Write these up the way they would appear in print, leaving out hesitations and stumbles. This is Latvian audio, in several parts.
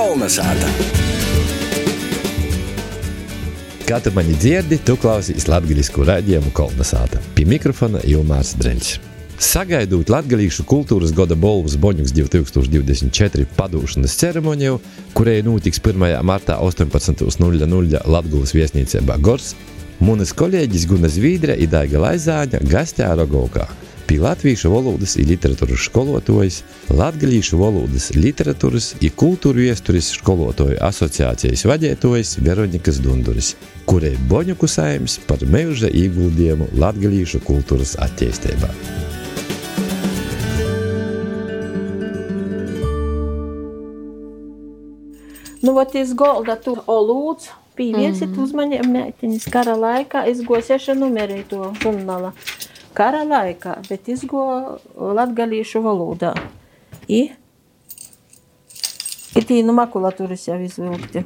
Kolnesāta. Kā tu mani dzirdi, tu klausīs latgaļisku raidījumu Kolnesāta. Pie mikrofona Ilmārs Dreļs. Sagaidot latgalīšu kultūras goda bolvas Boņuks 2024 padūšanas ceremoniju, kurai notiks 1. martā 18:00 Latgulas viesnīcībā Gors, munas kolēģis Guna Zvīdre i Daiga Laizāņa gastē Rogovkā. Pie latviešu valodas i literatūras školotājs, latgalīšu valodas literatūras i kultūru iesturis školotāju asociācijas vadītājs Veronikas Dunduris, kurai Boņuku saims par mūža ieguldījumu latgalīšu kultūras attīstībā. Nu, vot iz golda tu olūdz, pīviesit uzmanību meitiņas kara laikā, izgo 6 numerī to žurnāla. Kara laikā, bet izgo latgalīšu valodā. I tī nu makulatūras jau izvilkti.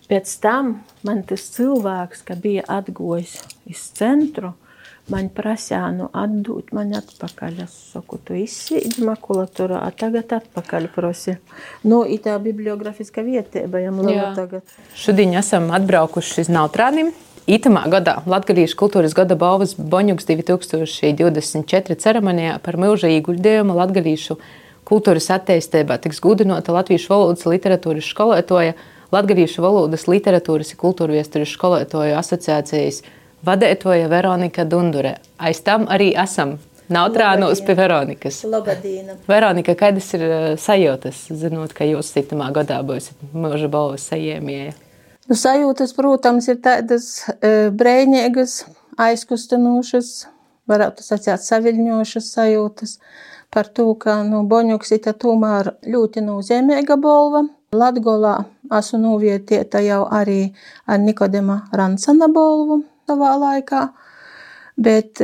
Pēc tam man tas cilvēks, ka bija atgojis iz centru, man prasīja atdūt mani atpakaļ. Es saku, tu izsīdi makulatūrā, a tagad atpakaļ prosi. I tā bibliografiska vietēba jam laba tagad. Šodien esam atbraukuši iz Nautrānim. Itamā gadā Latgalīšu kultūras gada balvas Boņuks 2024 ceremonijā par mūža ieguldījumu latgalīšu kultūras attīstībā tiks gudinota Latviešu valodas literatūras školotāja, Latgalīšu valodas literatūras un kultūru iesturis školotāju asociācijas vadītāja Veronika Dundure. Aiz tam arī esam Nautrānos pie Veronikas. Labadīna. Veronika, kādas ir sajūtas, zinot, ka jūs itamā gadā būsiet mūža balvas saņēmēja? Sajūtas, protams, ir tādas brēņīgas, aizkustinošas, varētu sacīt saviļņošas sajūtas par to, ka Boņuks ir tomēr ļoti nozīmīga balva. Latgolā esmu novietieta jau arī ar Nikodema Ransana balvu savā laikā, bet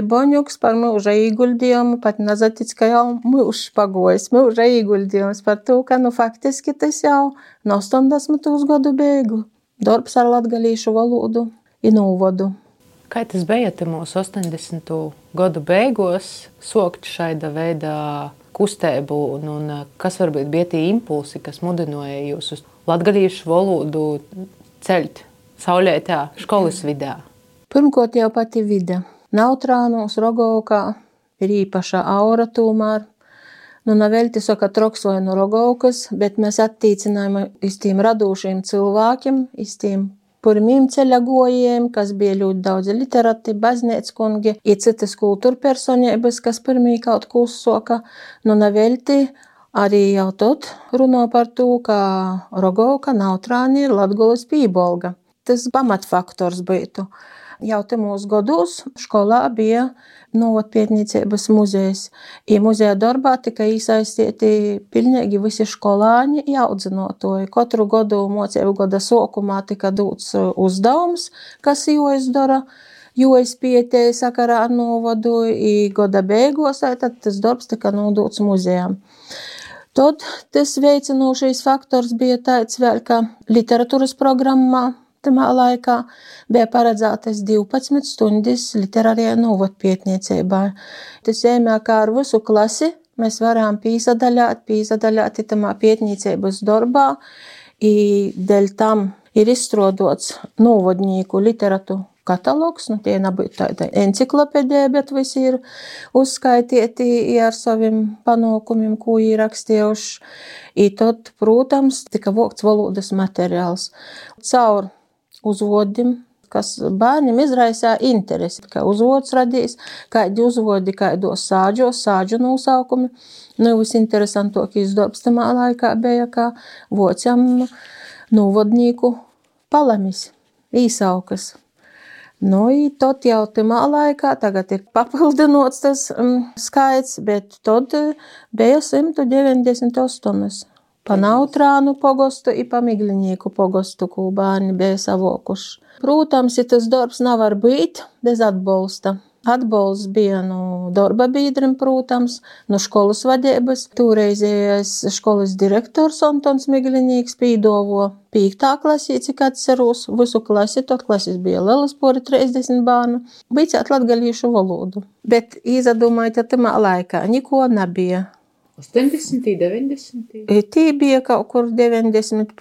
Boņuks par mūža ieguldījumu pat nezatic, ka jau mūžs pagojis, mūža ieguldījums par to, ka faktiski tas jau no 80. gadu beigu darbs ar latgalīšu valodu i novodu. Kā tas bija mūsu 80. gadu beigos sokt šaida veidā kustēbu un kas varbūt bija tie impulsi, kas mudināja jūs uz latgalīšu valodu ceļt saulētā školas vidā? Pirmkārt jau pati vide. Nautrānos, Rogovkā ir īpaša aura tomēr. Navelti saka troks vai no Rogovkas, bet mēs attīcinājām iz tiem radūšiem cilvēkiem, iz tiem pirmiem ceļagojiem, kas bija ļoti daudz literati, baznīckungi, i citas kultūra personības, kas pirmī kaut ko uzsoka. Navelti arī jau tot runā par to, ka Rogovka, Nautrāni ir Latgulas pībolga. Tas pamatfaktors būtu. Jau mūsu gados skolā bija novatpietniecības muzejs. I muzeja darbā tika iesaistīti pilnīgi visi skolāņi i audzinotoji. Katru gadu mocību gada sokumā tika dots uzdevums, kas jāizdara, jo es pietēju sakarā ar novadu i gada beigos, tad tas darbs tika nodots muzejam. Tad tas veicinošais faktors bija tāds vēl, ka literatūras programmā tamā laikā bija paredzētas 12 stundas literārijā novatpietniecībā. Tas ēmē, kā ar visu klasi mēs varam pīsadaļāt tamā pietniecības darbā, i dēļ tam ir izstrādots novadnieku literatu katalogs, tie nebūtu tāda enciklopēdija, bet visi ir uzskaitīti ar saviem panākumiem, ko ir rakstījuši. I tad, protams, tika vokts valodas materiāls. Caur uzvodim, kas bērniem izraisā interesi, kā uzvods radīs, kādi uzvodi, kādos sāģu nosaukumi. Visinteresantākais darbs tamā laikā bija, kā vocam novadnieku palamis, īsaukas. Tad jau tamā laikā, tagad ir papildinots tas skaits, bet tad bija 198. Pa Nautrānu pogostu i pa Miglinieku pogostu, ko bērni bija savokuši. Protams, ja tas darbs nevar būt bez atbalsta. Atbalsts bija no darba biedriem, protams, no školas vadības. Toreizējais školas direktors Antons Miglinieks pīdovo 5. klasī, cik atceros, visu klasi, tad klasis bija lielas pori 30 bērnu. Bīcēt latgalīšu valodu. Bet izdomājot, ka tamā laikā niko nebija. 80, 90? Tī bija kaut kur 91,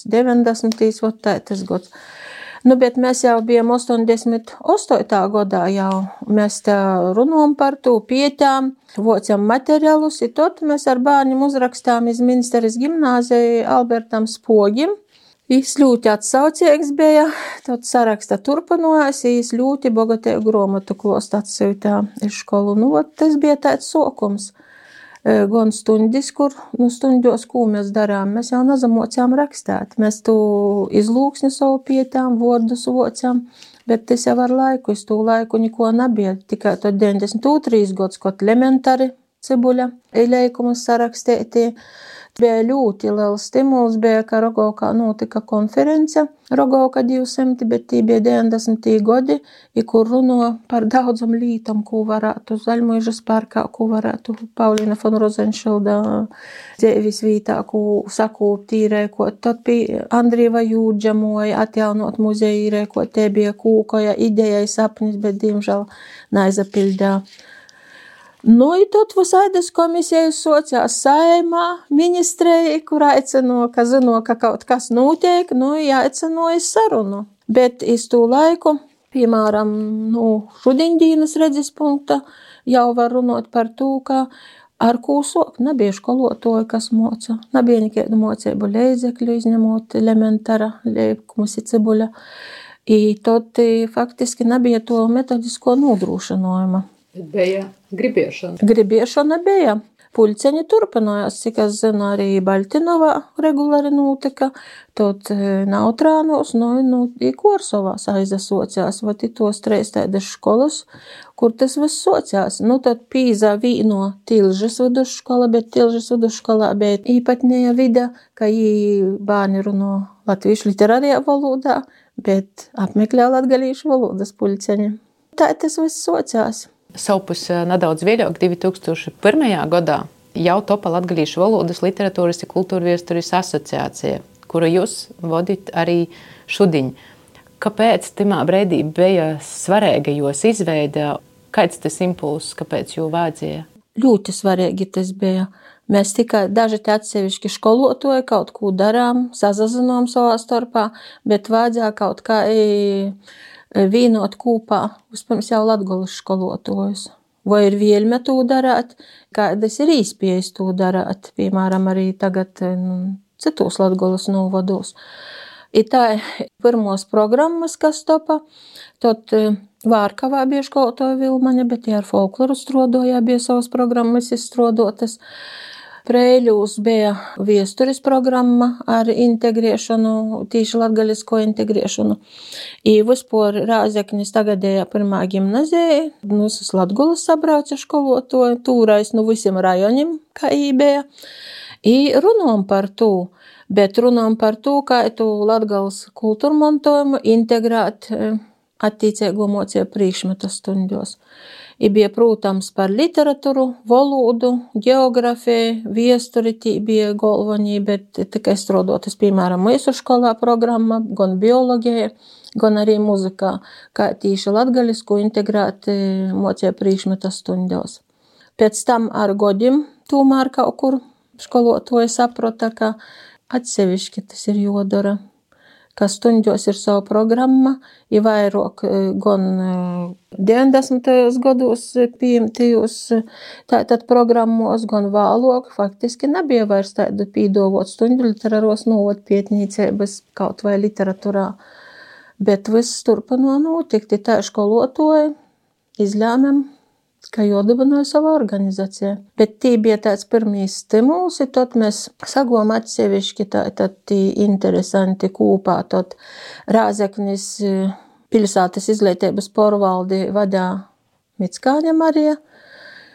90, vot tā tas gods. Nu, bet mēs jau bijām 88. gadā jau. Mēs tā runājam par to, pietām, vocam materiālus, un tad mēs ar bērniem uzrakstām iz Minsteres gimnāziju Albertam Spogim. Viņš ļoti atsaucīgs bija, tad saraksta turpinājās, viņš ļoti bogatēju grāmatu klostu atsūtā iz skolu. Nu, tas bija tāds sokums. Gan stundis, kur stundos, ko mēs darām, mēs jau nazamocām rakstāt. Mēs tu izlūksni savu pietām, vārdus vocām, bet tas jau ar laiku, uz to laiku neko nebija. Tikai tad 92. gads, kad elementāri cibuļa leikumus sarakstēti. Bija ļoti liels stimuls, bija, ka Rogovkā notika konference Rogovka 200, bet tī bija 90. gadi, kur runo par daudzam lītam, ko varētu Zaļmuižas parkā, ko varētu Paulīna von Rozenšilda dzēvis vītā, ko sakūpt īrēkot. Tad bija Andrieva Jūdža moja atjaunot muzeju īrēkot, te bija kūkoja idejai sapnis, bet diemžēl neizapildē. Nu, i tad visādas komisijas sociās Saeimā, ministrei, kur aicino, ka zino, ka kaut kas notiek, nu, jāicino iz sarunu. Bet iz tū laiku, piemēram, šudiņdīnas redzes punkta, jau var runāt par to, ka ar ko sok, nebija skolotoja, kas moca, nebija nekādu mocību leidzekļu, izņemot elementāra leikumus i cibuļa. I tad faktiski nebija to metodisko nodrošinājuma. Bija gribiešana. Gribiešana bija. Puļceņi turpinājās, cik es zinu, arī Baļtinovā regulāri notika, tad Nautrānos, i Korsovās aizasociās, vat i tos 3 tādas školas, kur tas viss sociās. Nu, tad pīzā vīno Tilžas vidusškola, bet Tilžas vidusškolā bija īpatnēja vida, ka jī bērni runo latviešu literārajā valodā, bet apmeklē latgalīšu valodas puļceņi. Tā tas viss sociās. Savpus nedaudz vēļāk, 2001. gadā, jau topa Latgalīšu valodas, literatūras un kultūra vēstures asociācija, kuru jūs vadīt arī šudiņ. Kāpēc timā breidī bija svarīga jūs izveida? Kāds tas impulss, kāpēc jū vajadzēja? Ļoti svarīgi tas bija. Mēs tikai daži atsevišķi skolotoji kaut ko darām, sazazinām savā starpā, bet vajadzēja kaut kā vīnot kūpā, vispirms jau latgolas skolotojus. Vai ir vielme to darāt, kādas ir īspējas to darāt, piemēram, arī tagad citos latgolas novados. I tā pirmos programmas, kas topa, tad Vārkavā bija skolotoja Vilmaņa, bet ar folkloru strodoja, bija savas programmas izstrodotas. Preiļūs bija viesturis programma ar integrēšanu, tīši latgalisko integrēšanu. I vispār Rāzeknis tagadējā pirmā gimnazija, visas Latgolas sabrauca skolotoju, tūrais visiem rajonim, kā bija. I runājam par to, bet runājam par to, kā tu Latgales kultūrmantojumu integrēt attīcīgo mocību priekšmetu stundos. I bija, protams, par literatūru, valodu, geografiju, viesturi, tī bija galvenie, bet tikai strodotas, piemēram, mūsu skolā programma, gan biologija, gan arī muzikā, kā tīši latgalisku integrēt mocību priekšmetu stundos. Pēc tam ar godim tomēr kaut kur skolotoji saprota, ka atsevišķi tas ir jodara. Ka stundos ir savu programma, i vairāk gan 90. gados pieņemtajos tātad programmos, gan vēlāk faktiski nebija vairs tādu pīdovot stundu literāros novod pietnīcības kaut vai literatūrā. Bet viss turpino notikt, tā skolotoji izlēmēm, ka jodibināja savu organizāciju. Bet tī bija tāds pirmīs stimuls, i tad mēs sagom atsevišķi tādi interesanti kūpā. Tad Rāzeknis pilsētas izglītības porvaldi vadā Mickāņa Marija.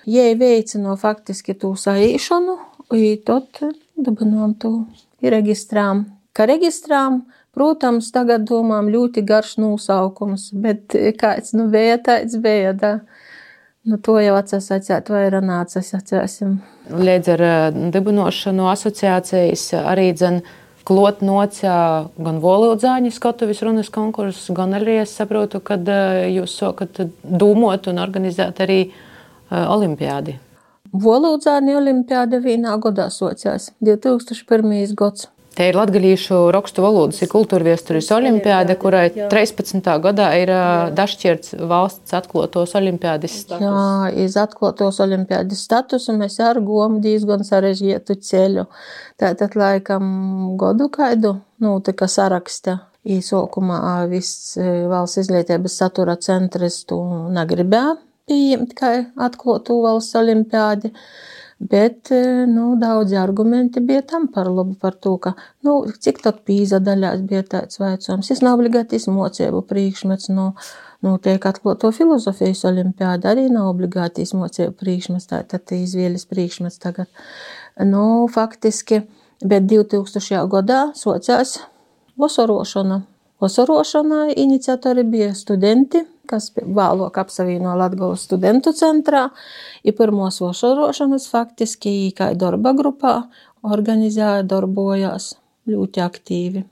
Jei veicino faktiski tū saīšanu, i tad dibinām tū i reģistrām. Ka reģistrām, protams, tagad domām ļoti garš nosaukums, bet kāds bija, tāds bija, da. To jau atsasacēt vai ranācas atcēsim. Līdz ar dibinošanu asociācijas arī klot nocā gan valodzāņu skatuvis runas konkursus, gan arī es saprotu, kad jūs sokat dūmot un organizēt arī olimpiādi. Volūdzāni olimpiāda vienā godā sociās 2001. gads. Te ir latgalīšu rakstu valodas un kultūrviesturis olimpiāde, kurai 13. gadā ir dažšķirts valsts atklātos olimpiādes status. Jā, iz atklātos olimpiādes statusu mēs ar gomu diezgan sarežģītu ceļu. Tātad laikam godu kaidu notika saraksta. Īsākumā viss valsts izglītības satura centrs to negribēja pieņemt kā atklātu valsts olimpiādi. Bet daudzi argumenti bija tam par labu, par to, ka cik tad pīza daļās bija tāds vaicojums. Tas nav obligātis mocību priekšmets, tiek atklāto filozofijas olimpiāda, arī nav obligātis mocību priekšmets, tātad izvēles priekšmets tagad. Faktiski, bet 2000. gadā sociās vasarošana. Vasarošanai iniciatori bija studenti, kas vēlāk apsavieno Latgolas studentu centrā. I pirmos vasarošanas faktiski kā darba grupā organizēja, darbojās ļoti aktīvi.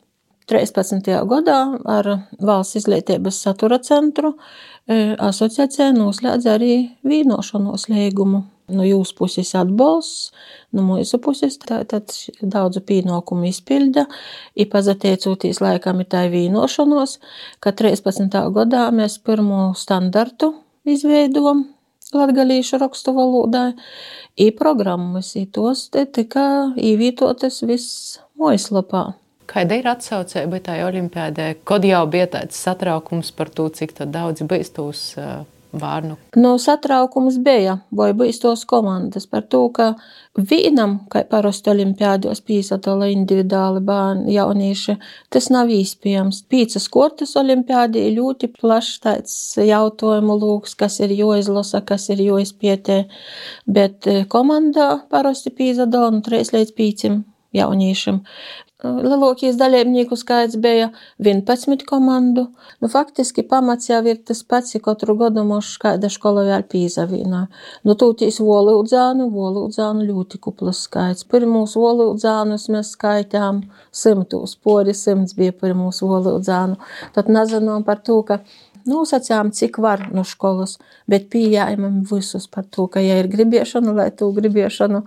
13. gadā ar Valsts izglītības satura centru asociācija noslēdza arī vīnošanos līgumu. No jūsu puses atbalsts, no mūsu puses tad daudzu pienākumu izpilda. I pazateicoties laikam ir tā vīnošanos, ka 13. gadā mēs pirmo standartu izveidojam latgalīšu rakstu valodai. I programmas, i tos tika īvītotas viss mājaslapā. Kāda ir atsaucība tai olimpiādē? Kad jau bija tāds satraukums par to, cik daudz bijis tos vārnu? Satraukums bija, vai bijis tos komandas par to, ka vienam, kā parasti olimpiādos pīsadala individuāli bērni, jaunieši, tas nav iespējams. 5 kortas olimpiādi ir ļoti plašs tāds jautājumu lūks, kas ir jāizlasa, kas ir jāizpietē, bet komandā parasti pīsadala 3 līdz 5 jauniešiem. Lielākais dalībnieku skaits bija 11 komandu. Faktiski pamats jau ir tas pats, katru gadu mums kāda škola vēl pīzavīnā. Tūtīs volūdzānu ļoti kuplas skaits. Pirmūs volūdzānus mēs skaitām 100, pori 100 bija pirmūs volūdzānu. Tad nezinām par to, ka nosacām, cik var no školas, bet pieejamam visus par to, ka, ja ir gribiešana, lai tu gribiešanu,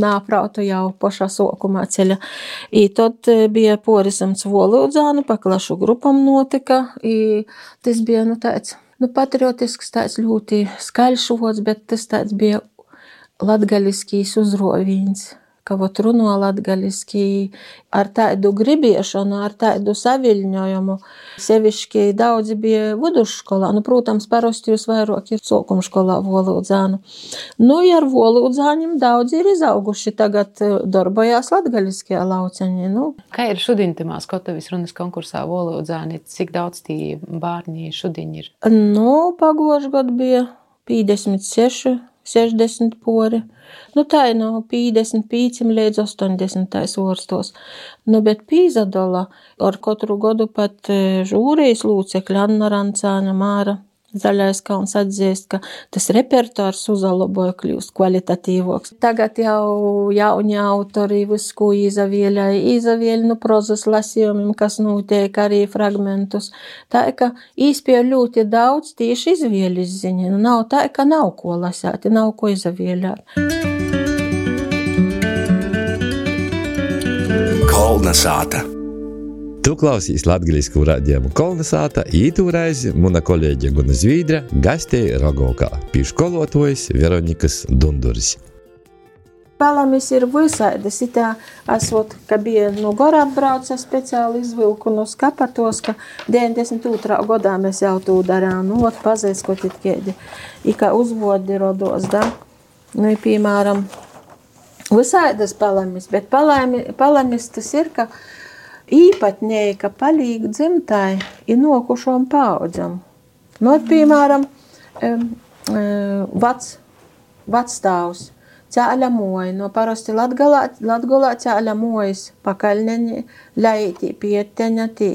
nāprautu jau pašā sokumā ceļa. I tad bija porisams volūdzānu, paklašu grupam notika, i tas bija, tāds, patriotisks, tāds ļoti skaļš vods, bet tas tāds bija latgaliskīs uzrovīns. Ka runo latgaliski ar tādu gribiešanu, ar tādu saviļņojumu. Sevišķi daudzi bija vidusškolā. Protams, parasti jūs vairāk ir sokumškolā volūdzānu. Ar volūdzāņiem daudzi ir izauguši. Tagad darbojās latgaliskajā lauceņi. Kā ir šodien timā Skotavis runas konkursā volūdzāni? Cik daudz tī bārņi šodien ir? Pagošu gadu bija 56, 60 pori. Tā ir no 55 līdz 80 vorstos. Bet pīzadala ar katru gadu pat žūrijas lūcekļi Anna Rancāna, Māra Zaļais Kalns atzīst, ka tas repertuārs uzlaboja, kļūst kvalitatīvoks. Tagad jau jauni autori visu, ko izavieļ prozas lasījumiem, kas notiek arī fragmentus. Tā, ka īspēja ļoti daudz tieši izvēļas ziņa. Nav tā, ka nav ko lasēt, nav ko izavieļāt. Kolnesāta. Tu klausīs latgalīsku raidījumu Kolnesāta, ītūreiz muna kolēģe Guna Zvīdra gastēja Rogovkā pie školotojas Veronikas Dunduris. Palamis ir visādas. Itā esot, ka bija no Gora atbrauca speciāli izvilku no skapatos, ka 92. gadā mēs jau to darām. Pazēs, ko titkēdi. I kā uzvodi rodos, da? Piemēram, visādas palamis, bet palamis tas ir, ka īpatnēji, ka palīg dzimtai i nokušom paudzam. Piemēram, vacstāvs cēļa moja, parasti Latgolā cēļa mojas pakaļneņi, ļaitī pieteņa, tī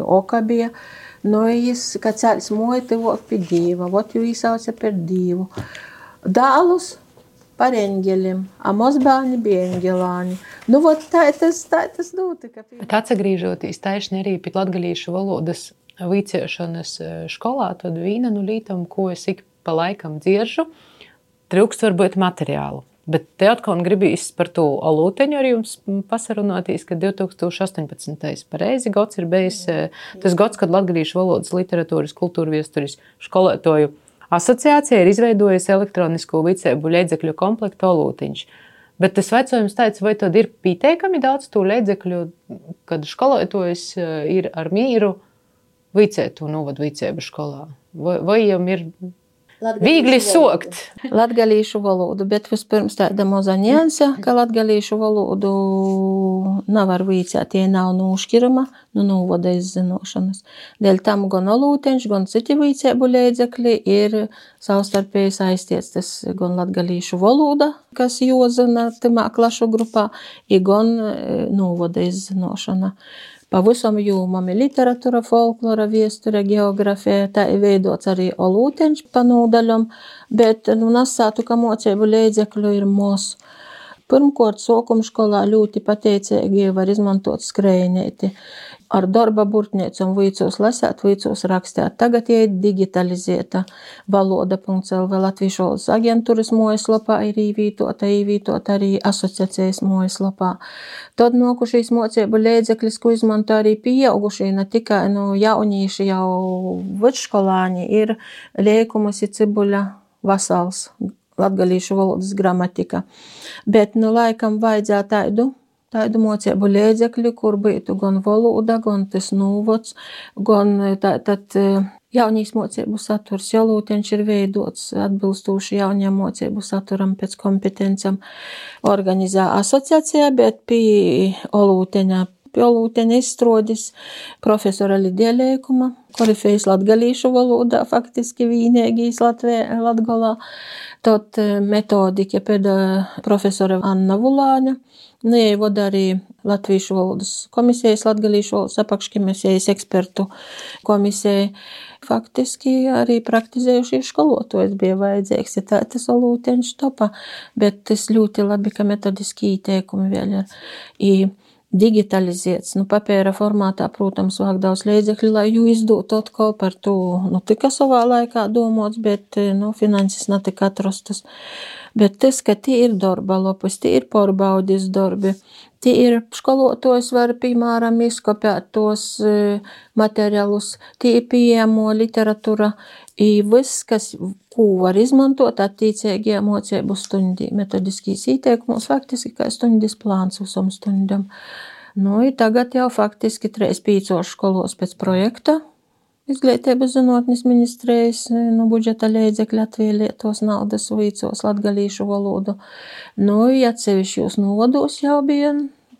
okabie, jis, ka cēļs moja, tivok pie dīva, jū īsauca par dīvu. Dālus par eņģelim, a mozbāņi bija eņģelāņi. Tā tas notika. Bet atsagrīžoties taišni arī pie latgalīšu valodas vicēšanas školā, tad vīna lītam, ko es ik pa laikam dzieržu, trūkst varbūt materiālu. Bet te atkal gribīs par to olūteņu ar jums pasarunātīs, ka 2018. pareizi gads ir bijis tas gads, kad latgalīšu valodas, literatūras, kultūrviesturis skolotāju asociācija ir izveidojusi elektronisko vicēbu līdzekļu komplektu olūteņš. Bet tas vecojums tāds, vai tad ir pieteikami daudz to līdzekļu, kad skolotājs ir ar mīru vicētu novadu vicēbu skolā? Vai jam ir viegli sokt? Latgalīšu valodu, bet vispirms tāda moza nianse, ka latgalīšu valodu nav ar vicēt, tie nav nūškirama, novada izzinošanas. Dēļ tam gan olūteņš, gan citi vicēbu līdzekļi ir savstarpēji saistīts. Tas gan latgalīšu valoda, kas jozina timā klašu grupā, ir gan novada izzinošana. Pavisam jūmam ir literatūra, folklora, viesture, geografija, tā ir veidots arī olūteņš pa nūdaļam, bet nasātu, ka moceibu līdzekļu ir mos. Pirmkort, sākumskolā ļoti pateicīgi var izmantot skrējnēti. Ar darba burtniecom vicos lasēt, vicos rakstēt. Tagad ir digitalizēta valoda.lv Latviešu valodas aģentūras mājaslapā ir īvītot arī asociācijas mājaslapā. Tad nokušīs moceibu līdzekļus, ko izmanto arī pieaugušie, ne tikai jaunīši, jau vidškolāņi, ir Liekumas ir Cibuļa Vasals, latgalīšu valodas gramatika. Bet laikam vajadzētu tādu moceibu līdzekļu, kur būtu gan valoda, gan tas novods, gan tad jaunīs moceibu saturs. Olūteņš ir veidots atbilstoši jauniem moceibu saturam pēc kompetencam. Organizē asociācijā, bet pie olūteņa izstrādis profesora Lidija Liekuma, korifejs latgalīšu valodā, faktiski vīnēgīs Latgolā. Tad metodika pēda profesora Anna Vulāņa. Jej vada arī Latviešu valodas komisijas, latgalīšu valodas apakškomisijas ekspertu komisija. Faktiski arī praktizējušie skolotāji bija vajadzīgs, ja tā tas olūteņš topa, bet tas ļoti labi, ka metodiski ieteikumi vēl ir digitalizēts. Papēra formātā, protams, vāk daudz līdzekļu, lai jū izdot atkal par to, tika savā laikā domāts, bet, finanses netika atrastas. Bet tas, ka tie ir darba lapas, tie ir pārbaudis darbi, tie ir skolotājs var, piemēram, izkopēt tos materiālus, tie ir pieejamo literatūra, viss, ko var izmantot attiecīgajā moceibu stundī. Metodiskīs ieteikumus faktiski kā stundis plāns visam stundam. Tagad jau faktiski 3-5 skolos pēc projekta Izglītības zinātnes ministrijas budžeta līdzekļi atvēlētos naudas vicos latgalīšu valodu. Atsevišķos novados jau bija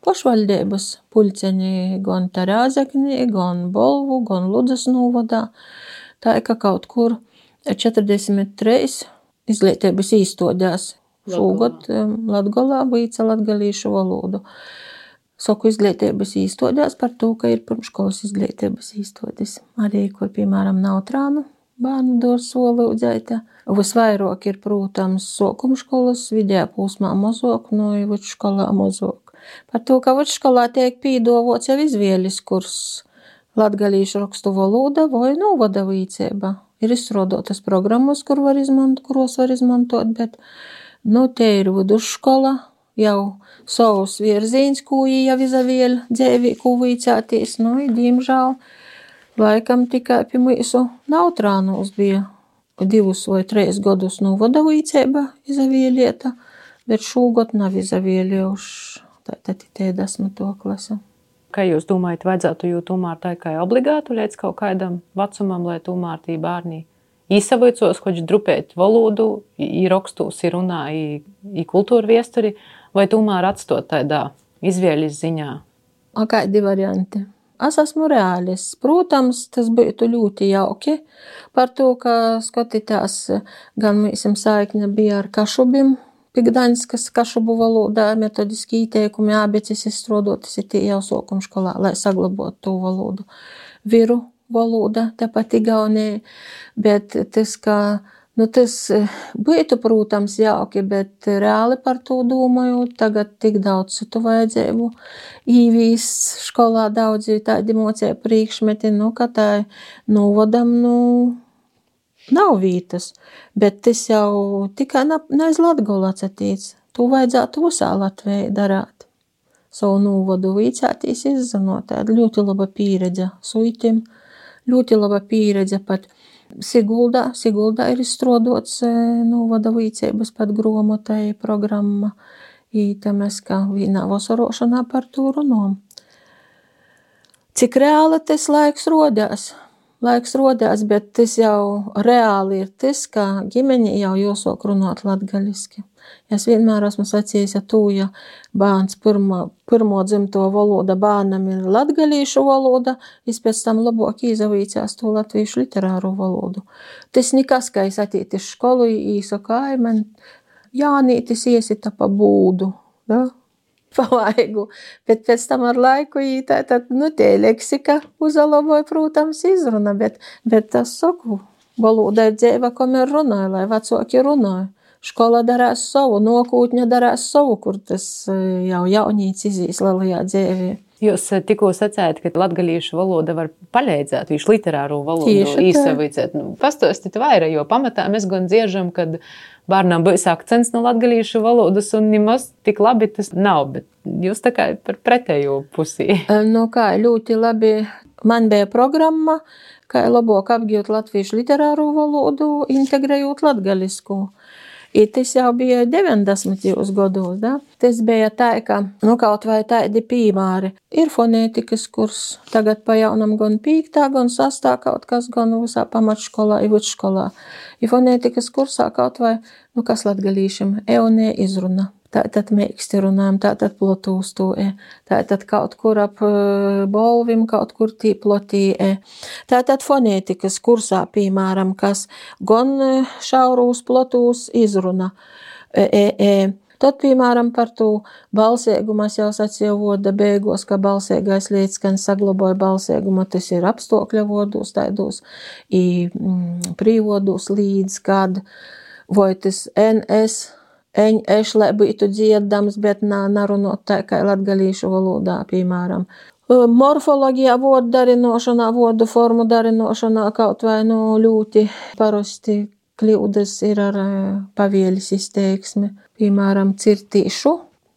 pašvaldības pulceņi gan Rāzeknī, gan Bolvu, gan Ludzas novadā. Tā ir, ka kaut kur 43 izglītības īstodās šogad Latgolā vica latgalīšu valodu. Saku izglītības īstodās par to, ka ir pirmškolas izglītības īstodis. Arī, kur, piemēram, Nautrānu bērnu dors solūdzēta. Visvairāk ir, protams, sākumškolas, vidējā posmā mazāk, vidškolā mazāk. Par to, ka vidškolā tiek pīdāvots jau izvēles kurs latgalīšu rakstu valoda vai novada vicēba. Ir izstrādātas programmas, kuros var izmantot, bet, te ir vidusškola, jau savus virzīns, ko jau izavieļ dzēvī, ko vicētīs. Diemžēl, laikam tikai pie mūsu Nautrānos bija 2 vai 3 gadus novada vicēba izavieļieta, bet šogad nav izavieļojuši. Tātad ir 10. klase. Kā jūs domājat, vajadzētu jū tomēr tā kā obligātu līdz kaut kādam vecumam, lai tomēr tī bērni īsavicos, hoģi drupēt valodu, rakstos, runā, kultūra viesturi, vai tomēr atstot tādā izvēļas ziņā? Kādi varianti? Es esmu reālis. Protams, tas būtu ļoti jauki par to, ka skatītās gan mīsim saikne bija ar Kašubim, Gdaņskas Kašubu valodā metodiski ieteikumi ābeces izstrādotas ir tie jau sākumskolā, lai saglabotu to valodu. Viru valoda, tāpat Igaunijā, bet tas, ka tas būtu, protams, jauki, bet reāli par to domājot, tagad tik daudz citu vajadzēbu īvīst skolā daudzi tādi mocēju priekšmeti, ka tā novadam, nav vītas, bet tas jau tikai naiz Latgolu atsatīts. To vajadzētu visā Latvijā darāt. Savu nūvodu vīcātīs izzinot, tāda ļoti laba pieredze suitim, ļoti laba pieredze pat Siguldā ir izstrādots nūvoda vīcības pat gromotai programma. Īta mēs kā vienā vasarošanā par to runājam. Cik reāli tas laiks rodās, bet tas jau reāli ir tas, ka ģimeņi jau jāsāk runāt latgaliski. Es vienmēr esmu sacījis, ja bērns pirmo dzimto valoda bērnam ir latgalīšu valoda, es pēc tam labāk izavīcās to latviešu literāru valodu. Tas nekas, ka es atīt iz školu, īsaka, man Jānītis iesita pa būdu, da? Palaigu, bet pēc tam ar laiku tie leksika uzalaboja, protams, izruna, bet tas saku, valoda ir dzeiva, kamēr runāja, lai vecāki runāja. Škola darās savu, nokūtņa darās savu, kur tas jau jaunīts izīs lielajā dzēvī. Jūs tikko sacējat, ka latgalīšu valoda var palīdzēt, viņš literāro valodu īsavīcēt. Pastāstīt vairāk, jo pamatā mēs gan dziežam, kad bērnām būs akcents no latgalīšu valodas un nemaz tik labi tas nav, bet jūs tā kā par pretējo pusī. Ļoti labi. Man bija programma, kā labāk apgūt latviešu literāro valodu, integrējot latgalisku. I tas jau bija 90. gados, da? Tas bija tā, ka, kaut vai tādi piemēri. Ir fonētikas kurs, tagad pa jaunam gan 5., gan 6. kaut kas, gan visā pamatškolā, i vidškolā. I fonētikas kursā kaut vai, kas latgalīšam, eonē izruna. Tātad mēksti runājam, tātad plotūs to tātad kaut kur ap bolvim, kaut kur tī plotī Tātad fonētikas kursā, piemēram, kas gan šaurūs plotūs izruna Tad, piemēram, par to balsēgumu es jau sacīju voda beigos, ka balsēgais līdzskaņs saglaboja balsēgumu, tas ir apstākļa vodos, taidos, prīvodos līdz, kad vai tas NS, lai būtu dziedams, bet narunot tā kā latgalīšu valodā, piemēram. Morfoloģijā vodu darinošanā, vodu formu darinošanā kaut vai ļoti parasti kļūdas ir ar pavielis izteiksmi. Piemēram, cirtīšu,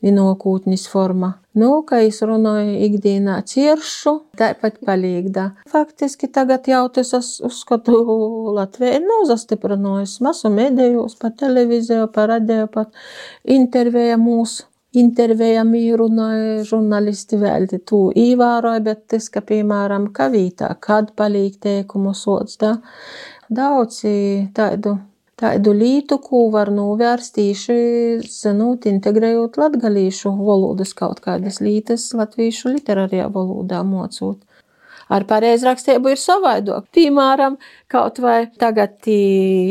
vienokūtnis forma. Kā es runāju ikdienā ciršu, tāpat palīgdā. Faktiski tagad jau tas uzskatu Latvijā nav zastiprinājis masu medijos, pa televiziju, pa radio, pat intervējami runāja žurnālisti vēl tu īvāroja, bet tas, ka, piemēram, kavītā, kad palīg teikumu sots, daudz tādu lītu, ko var novērst tīši, zinot, integrējot latgalīšu valodas kaut kādas lītas latviešu literārijā valodā mocot. Ar pareizrakstību ir savaidok. Piemēram, kaut vai tagad tī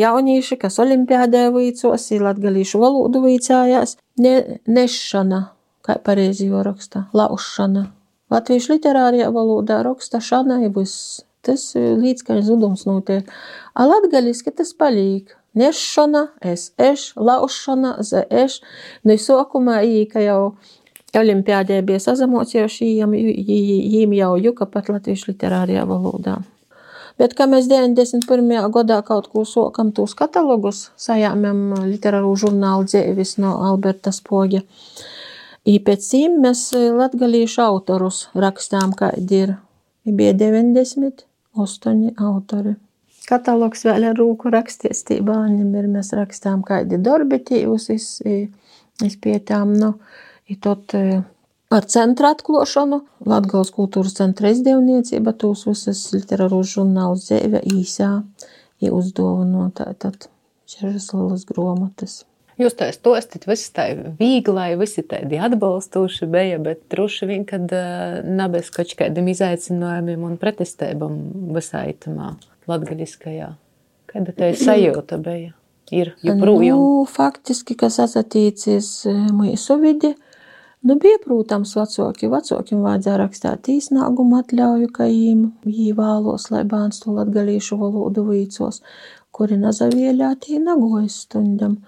jaunieši, kas olimpiādē vīcos, latgalīšu valodu vīcājās, nešana, kā pareizi jau raksta, laušana. Latviešu literārijā valodā raksta šana ir viss. Tas līdzskaņa zudums notiek. A latgaliski tas palīk. Nešana, laušana, sākumā ka jau olimpiādē bija sazamocījuši, jīm jau juka pat latviešu literārijā valodā. Bet, kā mēs 91. gadā kaut ko sokam tūs katalogus, sajāmam literāru žurnālu dzēvis no Alberta Spoga. I pēc cīm mēs latgalīšu autorus rakstām, kādi ir. Bija 98 autori. Katalogs vēl ar rūku raksties tī bāņiem ir, mēs rakstām, kādi darbi tīvus izpietām, I tad ar centra atklošanu, Latgales kultūras centra izdevniecība, tūs visas literārus žurnālus dzēve īsā, uzdāvinot tātad šežas lielas gromatas. Jūs tā stostit, visi tā vīglai, visi tādi atbalstoši bija, bet droši vien, kad nebēs kaut kādiem izaicinājumiem un pretestībām visā itamā latgaliskajā. Kāda tā sajūta bija? Ir joprojām? Faktiski, kas asatīcies mūsu vidi, bija, protams, vecākiem vajadzēja rakstāt īsnāgumu atļauju, ka jī vēlos, lai bērns to latgalīšu valodu vīcos, kuri nazavieļātī nagojas stundam.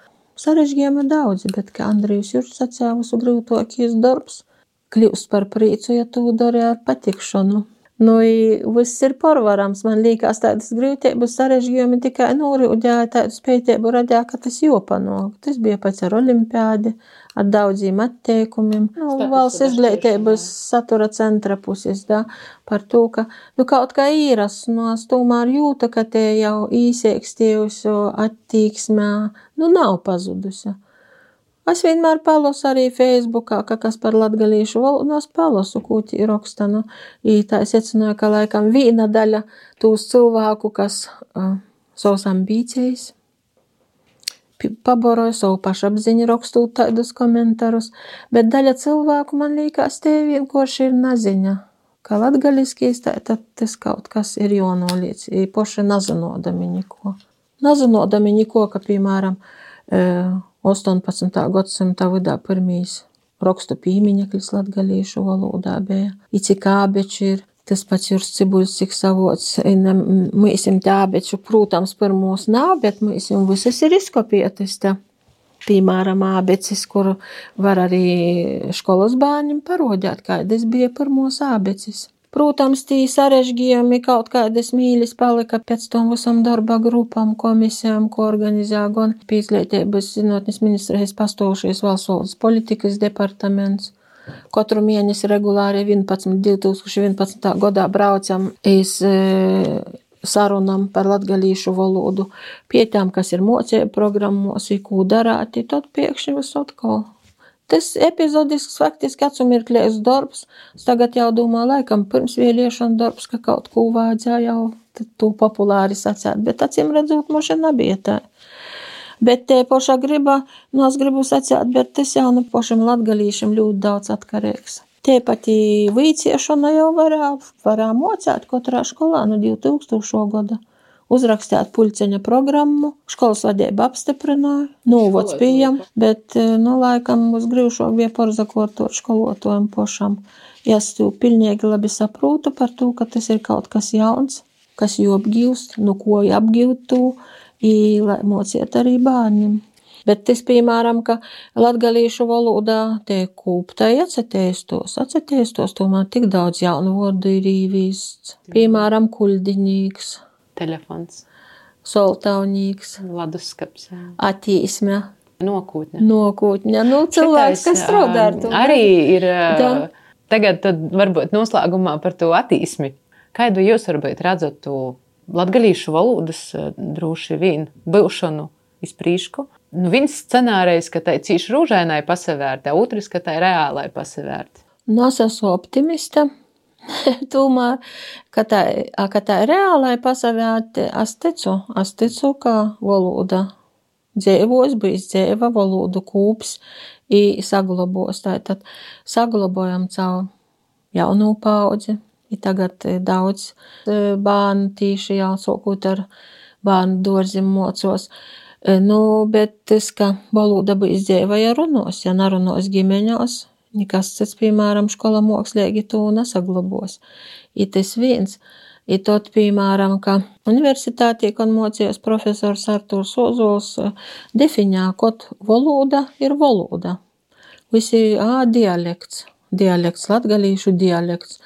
Sarežģījumi daudzi, bet, kā Andrijus Jurčs sacēja, visu grūtākais darbs kļūst par prīcu, ja tu dari ar patikšanu. Nu, viss ir porvarams. Man liekas, tādas grūtības sarežģījumi tikai norūdēja, tādu spējību radīja, ka tas jopanāk. Tas bija pats ar olimpiādi, ar daudziem atteikumiem. Valsts izglītības satura centra puses, da, par to, ka, kaut kā īras, es tomēr jūtu, ka te jau īsēkstījusi attīksmē, nav pazudusi. Es vienmēr palasu arī Facebookā, ka kas par latgalīšu valodu, es palasu, ko tī raksta. Tā es secināju, ka laikam viena daļa tūs cilvēku, kas savus ambīcijas paboroja, savu pašapziņu rakstot tādus komentārus, bet daļa cilvēku, man liekas, te vienkārši ir naziņa, ka latgaliskīs, tad tas kaut kas ir jānoliec, poši nazinodami niko. Nazinodami niko, ka, piemēram, 18. gadsimta vidā pirmīs rakstu pīmiņeklis latgalīšu valodā bija. Cik ābeči ir, tas pats Jurs Cibuļs, cik savots, mūsim te ābeču, protams, pirmos nav, bet mūsim visas ir izkopietas te. Piemēram, ābecis, kur var arī školas bērņiem parodēt, kādas bija pirmos ābecis. Protams, tī sarežģījumi kaut kādas mīļas palika pēc tam visam darba grupām, komisijām, ko organizē gan Izglītības zinātnes ministrijas pastāvošais valsts valodas politikas departaments. Katru mēnesi regulāri 2011. gadā braucam iz sarunam par latgalīšu valodu, pie tām, kas ir mocību programmos, ko darāt, tad pēkšņi viss atkal. Tas epizodisks faktiski atsumirklējs darbs. Es tagad jau domāju, laikam pirms vēliešana darbs, ka kaut ko vajadzēja jau to populāri sacēt, bet acīm redzot, moši nebija tā. Bet te pošā griba, es gribu sacēt, bet tas jau pošam latgalīšam ļoti daudz atkarīgs. Te pati vīciešana jau varā mocēt katrā skolā no 2000. gada. Uzrakstāt puļceņa programmu, školas vadība apstiprināja, novods pieejam, bet, laikam, uz grīvšok bija porzakortot školotājiem pošam. Es to pilnīgi labi saprotu par to, ka tas ir kaut kas jauns, kas jāapgīvst, ko jāapgīvt to, lai mociet arī bērniem. Bet tas, piemēram, ka latgalīšu valodā te kūptai atceteistos, tomēr tik daudz jaunu vārdu ir īvīsts. Piemēram, kuļdiņīgs. Telefons. Soltaunīgs. Laduskaps. Attīsme. Nokūtņa. Cilvēks, kas strādā ar to. Arī ir tagad tad varbūt noslēgumā par to attīsmi. Kādu jūs varbūt redzat to latgalīšu valodas droši vien būšanu iz prīšku? Viens scenārijs, ka tai cīši rūžainai pasavērta, otrs, ka tai reālai pasavērta. Es esmu optimista. Tomēr, ka tā reālai pasavērti, es ticu, ka valoda dzīvos, bijis dzīva, valodu kūps i saglabos. Tātad saglabojam caur jaunu paudzi. I tagad daudz bērnu tīši jau sākot ar bērnu dārzim mocos. Bet tas, ka valoda bijis dzīva, ja runos, ja nerunos ģimeņos, nekas cits, piemēram, škola mākslīgi to nesaglabos. I tas viens. I tot, piemēram, ka universitātī, kad mocījās profesors Artūrs Ozols, defiņā, kad valoda ir valoda. Visi dialekts, latgalīšu dialekts.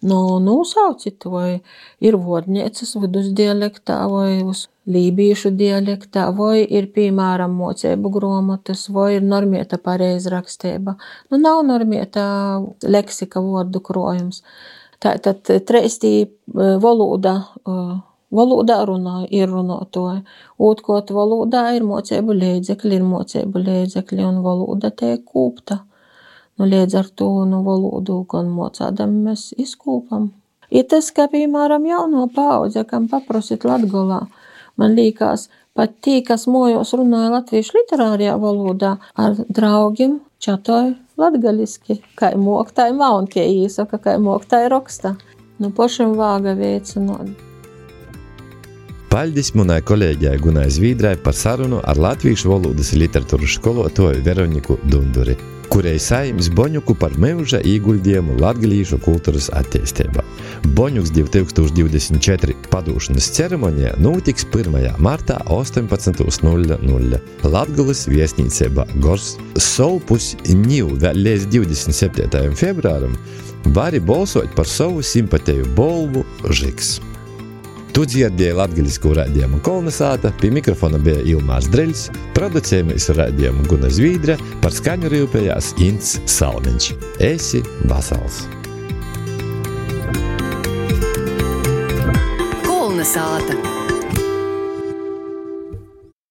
Saucit, vai ir vodniecas vidus dialektā, vai uz lībīšu dialektā, vai ir, piemēram, mocību gromatas, vai ir normieta pareizrakstība. Nav normieta leksika vārdu krojums. Tātad treistī valodā runāja, ir runātoja. Otrkot valodā ir mocību līdzekļi, un valoda tiek kūpta. Līdz ar to valodu, gan mocādam mēs izkūpam. Ir tas, ka, piemēram, jauno paudze, kam paprosit Latgolā, man liekas, pat tī, kas mojos runāja latviešu literārajā valodā, ar draugiem čatoja latgaliski, kai mok, tai maun, tie īsaka, kai mok, tai roksta. Pošam vāga veicinot. Paļdis munai kolēģijai Gunai Zvīdrai par sarunu ar latviešu valodas literatūras skolotāju Veroniku Dunduri. kurai saims Boņuku par myuža īguļdiejumu latgalīšu kultūras attīstībā. Boņuks 2024 padūšanas ceremonija notiks 1. martā 18:00 Latgulis viesnīcībā Gors Solpus ņiv vēl līdz 27. februāram vari balsot par savu simpateju bolvu Žiks. Tu dzirdēji latgaļisku raidījumu Kolnesāta, pie mikrofona bija Ilmārs Dreļs, producējamies raidījumu Guna Zvīdra, par skaņu rūpējās Ints Salmiņš. Esi vasals! Kolnesāta.